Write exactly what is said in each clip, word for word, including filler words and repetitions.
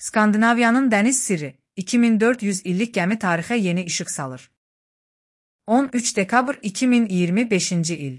Skandinaviyanın dəniz sirri, iki min dörd yüz illik gəmi tarixə yeni işıq salır. on üç dekabr iki min iyirmi beşinci il.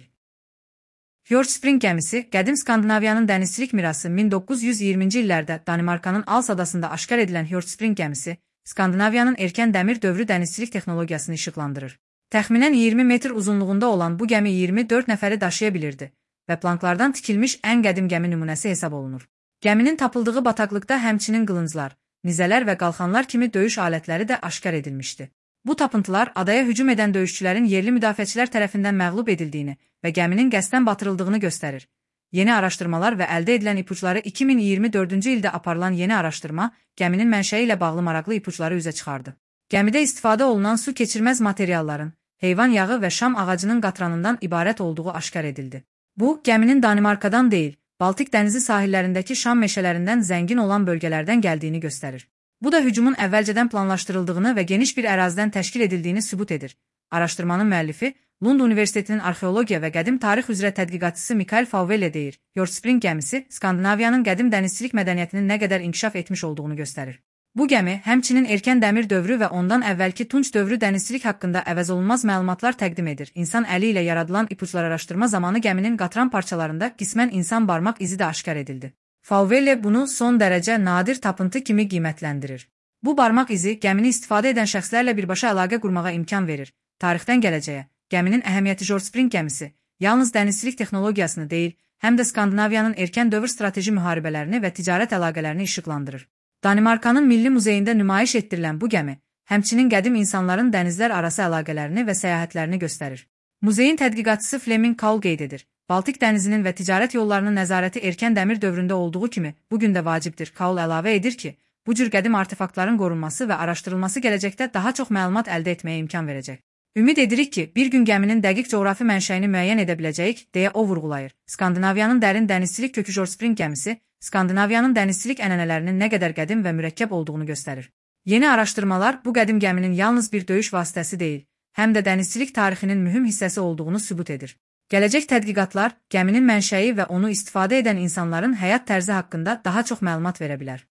Fjordspring gəmisi, qədim Skandinaviyanın dənizçilik mirası min doqquz yüz iyirminci illərdə Danimarkanın Als adasında aşkar edilən Fjordspring gəmisi, Skandinaviyanın erkən dəmir dövrü dənizçilik texnologiyasını işıqlandırır. Təxminən iyirmi metr uzunluğunda olan bu gəmi iyirmi dörd nəfəri daşıya bilirdi və planklardan tikilmiş ən qədim gəmi nümunəsi hesab olunur. Gəminin tapıldığı bataqlıqda həmçinin qılınclar, nizələr və qalxanlar kimi döyüş alətləri də aşkar edilmişdi. Bu tapıntılar adaya hücum edən döyüşçülərin yerli müdafiəçilər tərəfindən məğlub edildiyini və gəminin qəsdən batırıldığını göstərir. Yeni araşdırmalar və əldə edilən ipuçları iki min iyirmi dördüncü ildə aparılan yeni araşdırma, gəminin mənşəyi ilə bağlı maraqlı ipuçları üzə çıxardı. Gəmidə istifadə olunan su keçirməz materialların, heyvan yağı və şam ağacının qatranından ibarət olduğu aşkar edildi. Bu, gəminin Danimarkadan deyil, Baltik dənizi sahillərindəki şam meşələrindən zəngin olan bölgələrdən gəldiyini göstərir. Bu da hücumun əvvəlcədən planlaşdırıldığını və geniş bir ərazidən təşkil edildiyini sübut edir. Araşdırmanın müəllifi, Lund Universitetinin arxeologiya və qədim tarix üzrə tədqiqatçısı Mikael Fauwele deyir. Fjordspring gəmisi, Skandinaviyanın qədim dənizçilik mədəniyyətinin nə qədər inkişaf etmiş olduğunu göstərir. Bu gəmi, həmçinin erkən dəmir dövrü və ondan əvvəlki tunç dövrü dənizçilik haqqında əvəzolunmaz məlumatlar təqdim edir. İnsan əli ilə yaradılan ipuçlar araşdırma zamanı gəminin qatran parçalarında qismən insan barmaq izi də aşkar edildi. Fauwele bunu son dərəcə nadir tapıntı kimi qiymətləndirir. Bu barmaq izi gəmini istifadə edən şəxslərlə birbaşa əlaqə qurmağa imkan verir. Tarixdən gələcəyə, gəminin əhəmiyyəti Fjordspring gəmisi yalnız dənizçilik texnologiyasını deyil, həm də Skandinaviyanın erkən dövr strateji müharibələrini və ticarət əlaqələrini işıqlandırır. Danimarkanın Milli Muzeyində nümayiş etdirilən bu gəmi, həmçinin qədim insanların dənizlər arası əlaqələrini və səyahətlərini göstərir. Muzeyin tədqiqatçısı Fleming Kaul qeyd edir. Baltik dənizinin və ticarət yollarının nəzarəti erkən dəmir dövründə olduğu kimi, bugün də vacibdir. Kaul əlavə edir ki, bu cür qədim artefaktların qorunması və araşdırılması gələcəkdə daha çox məlumat əldə etməyə imkan verəcək. Ümid edirik ki, bir gün gəminin dəqiq coğrafi mənşəyini müəyyən edə biləcəyik, deyə o vurğulayır. Skandinaviyanın dərin dənizçilik kökü Fjordspring gəmisi, Skandinaviyanın dənizçilik ənənələrinin nə qədər qədim və mürəkkəb olduğunu göstərir. Yeni araşdırmalar bu qədim gəminin yalnız bir döyüş vasitəsi deyil, həm də dənizçilik tarixinin mühüm hissəsi olduğunu sübut edir. Gələcək tədqiqatlar gəminin mənşəyi və onu istifadə edən insanların həyat tərzi haqqında daha çox məlumat verə bilər.